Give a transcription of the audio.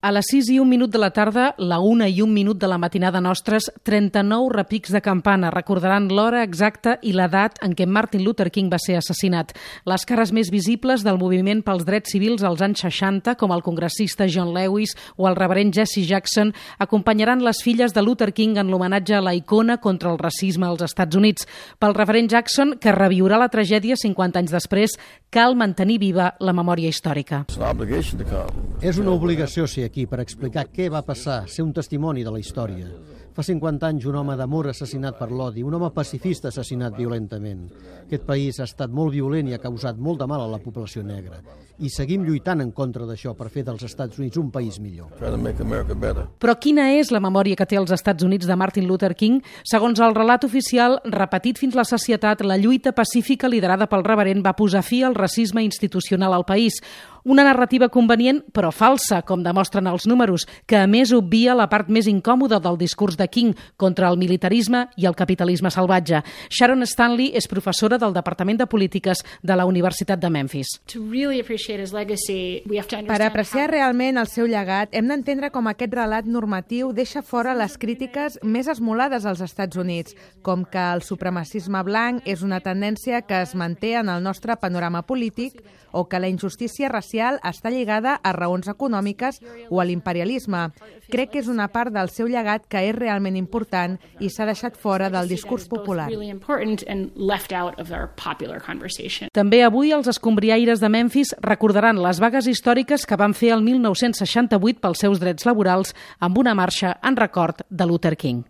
A les 6:01 de la tarda, la 1:01 de la matinada nostres, 39 repics de campana recordaran l'hora exacta i l'edat en què Martin Luther King va ser assassinat. Les cares més visibles del moviment pels drets civils als anys 60, com el congressista John Lewis o el reverend Jesse Jackson, acompanyaran les filles de Luther King en l'homenatge a la icona contra el racisme als Estats Units. Pel reverend Jackson, que reviurà la tragèdia 50 anys després, cal mantenir viva la memòria històrica. És una obligació ser aquí per explicar què va passar, ser un testimoni de la història. Fa 50 anys un home d'amor assassinat per l'odi, un home pacifista assassinat violentament. Aquest país ha estat molt violent i ha causat molt de mal a la població negra. I seguim lluitant en contra d'això per fer dels Estats Units un país millor. Però quina és la memòria que té els Estats Units de Martin Luther King? Segons el relat oficial, repetit fins la sacietat, la lluita pacífica liderada pel reverend va posar fi al racisme institucional al país. Una narrativa convenient, però falsa, com demostren els números, que a més obvia la part més incòmoda del discurs de King contra el militarisme i el capitalisme salvatge. Sharon Stanley és professora del Departament de Polítiques de la Universitat de Memphis. Per apreciar realment el seu llegat, hem d'entendre com aquest relat normatiu deixa fora les crítiques més esmolades als Estats Units, com que el supremacisme blanc és una tendència que es manté en el nostre panorama polític o que la injustícia racial està lligada a raons econòmiques o a l'imperialisme. Crec que és una part del seu llegat que és realment important i s'ha deixat fora del discurs popular. També avui els escombriaires de Memphis recordaran les vagues històriques que van fer el 1968 pels seus drets laborals amb una marxa en record de Luther King.